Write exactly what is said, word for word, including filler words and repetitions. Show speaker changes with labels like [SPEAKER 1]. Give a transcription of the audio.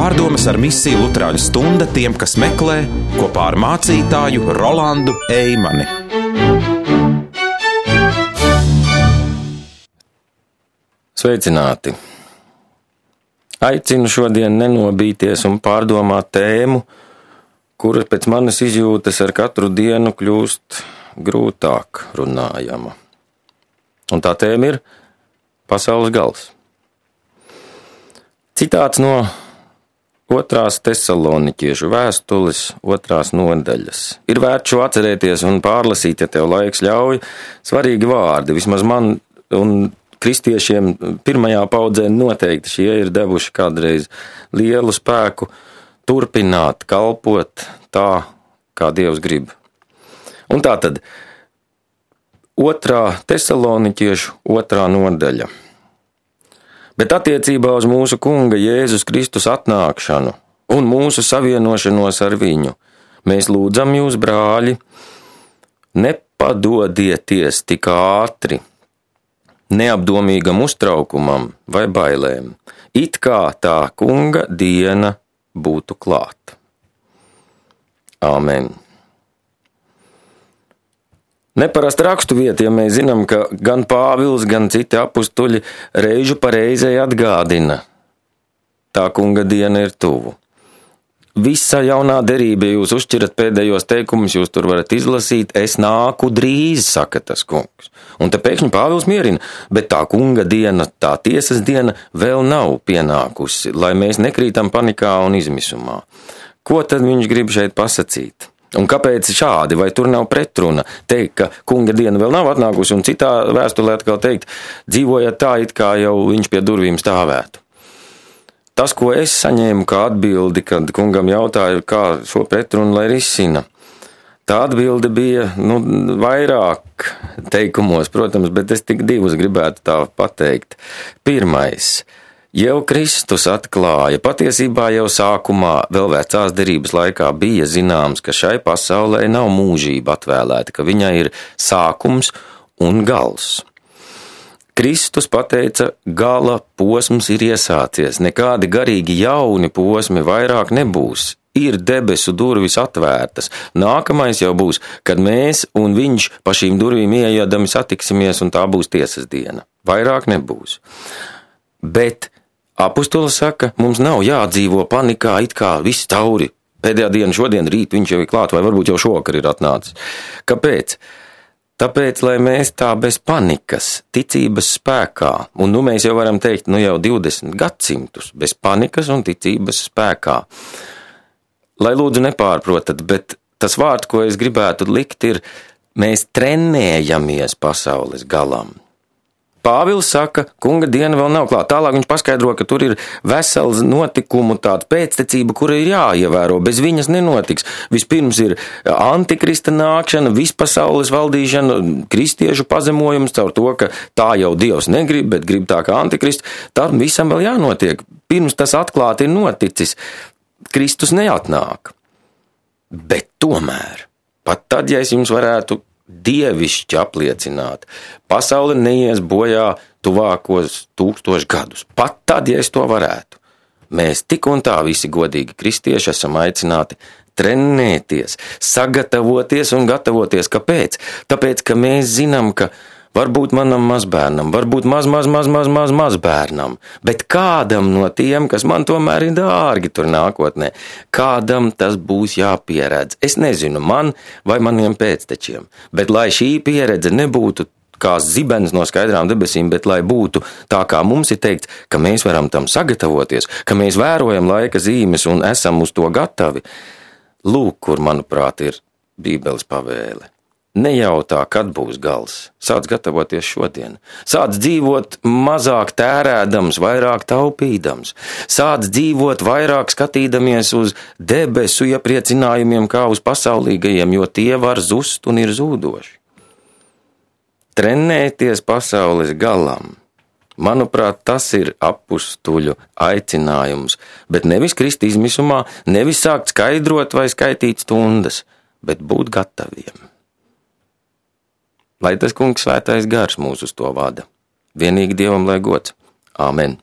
[SPEAKER 1] Pārdomas ar misiju Luterāņu stunda tiem, kas meklē, kopā ar mācītāju Rolandu Eimani.
[SPEAKER 2] Sveicināti! Aicinu šodien nenobīties un pārdomāt tēmu, kura pēc manas izjūtas ar katru dienu kļūst grūtāk runājama. Un tā tēma ir pasaules gals. Citāts no otrās Tesaloniķiešu vēstules otrās nodaļas. Ir vērts šo atcerēties un pārlasīt, ja tev laiks ļauj, svarīgi vārdi, vismaz man un kristiešiem pirmajā paudzē noteikti šie ir devuši kādreiz lielu spēku turpināt kalpot tā, kā Dievs grib. Un tā tad otrā Tesaloniķiešu otrā nodaļa. Bet attiecībā uz mūsu Kunga Jēzus Kristus atnākšanu un mūsu savienošanos ar viņu, mēs lūdzam jūs, brāļi, nepadodieties tik ātri neapdomīgam uztraukumam vai bailēm, it kā tā Kunga diena būtu klāta. Āmen. Neparasta rakstuvieta, ja mēs zinām, ka gan Pāvils, gan citi apustuļi reižu pa reizei atgādina, tā Kunga diena ir tuvu. Visa jaunā derība, ja jūs uzšķirat pēdējos teikumus, jūs tur varat izlasīt, es nāku drīz, saka tas Kungs. Un te pēkšņi Pāvils mierina, bet tā Kunga diena, tā tiesas diena vēl nav pienākusi, lai mēs nekrītam panikā un izmisumā. Ko tad viņš grib šeit pasakīt? Un kāpēc šādi, vai tur nav pretruna teikt, ka Kunga diena vēl nav atnākusi, un citā vēstulē atkal teikt, dzīvojat tā, it kā jau viņš pie durvīm stāvētu? Tas, ko es saņēmu kā atbildi, kad Kungam jautāju, kā šo pretrunu lai risina, tā atbilde bija, nu, vairāk teikumos, protams, bet es tik divus gribētu tā pateikt. Pirmais. Jau Kristus atklāja, patiesībā jau sākumā, vēl vecās derības laikā bija zināms, ka šai pasaulē nav mūžība atvēlēta, ka viņai ir sākums un gals. Kristus pateica, gala posms ir iesācies, nekādi garīgi jauni posmi vairāk nebūs, ir debesu durvis atvērtas, nākamais jau būs, kad mēs un viņš pa šīm durvīm ieejadami satiksimies un tā būs tiesas diena, vairāk nebūs. Bet apustulis saka, mums nav jādzīvo panikā, it kā viss tauri, pēdējā diena šodien, rīt viņš jau ir klāt, vai varbūt jau šokar ir atnācis. Kāpēc? Tāpēc, lai mēs tā bez panikas, ticības spēkā, un nu mēs jau varam teikt, nu jau divdesmit gadsimtus, bez panikas un ticības spēkā. Lai lūdzu nepārprotat, bet tas vārds, ko es gribētu likt, ir, mēs trenējamies pasaules galam. Pāvils saka, Kunga diena vēl nav klāta. Tālāk viņš paskaidro, ka tur ir vesels notikumu tāda pēctecība, kura ir jāievēro, bez viņas nenotiks. Vispirms ir antikrista nākšana, vispasaules valdīšana, kristiešu pazemojums caur to, ka tā jau Dievs negrib, bet grib tā kā antikrists. Tam visam vēl jānotiek. Pirms tas atklāti ir noticis, Kristus neatnāk. Bet tomēr, pat tad, ja es jums varētu dievišķi apliecināt, pasaule neies bojā tuvākos tūkstoši gadus. Pat tad, ja es to varētu. Mēs tik un tā visi godīgi kristieši esam aicināti trenēties, sagatavoties un gatavoties. Kāpēc? Tāpēc, ka mēs zinām, ka varbūt manam mazbērnam, varbūt maz, maz, maz, maz, maz, maz bērnam, bet kādam no tiem, kas man tomēr ir dārgi tur nākotnē, kādam tas būs jāpieredz. Es nezinu, man vai maniem pēctečiem, bet lai šī pieredze nebūtu kā zibens no skaidrām debesīm, bet lai būtu tā, kā mums ir teikts, ka mēs varam tam sagatavoties, ka mēs vērojam laika zīmes un esam uz to gatavi. Lūk, kur, manuprāt, ir Bībeles pavēle. Nejautā, kad būs gals. Sāc gatavoties šodien. Sāc dzīvot mazāk tērēdams, vairāk taupīdams. Sāc dzīvot vairāk skatīdamies uz debesu iepriecinājumiem kā uz pasaulīgajiem, jo tie var zust un ir zūdoši. Trenēties pasaules galam. Manuprāt, tas ir apustuļu aicinājums, bet nevis krist izmisumā, nevis sākt skaidrot vai skaitīt stundas, bet būt gataviem. Lai tas Kungs svētais gars mūs uz to vada. Vienīgi Dievam lai gods. Āmen.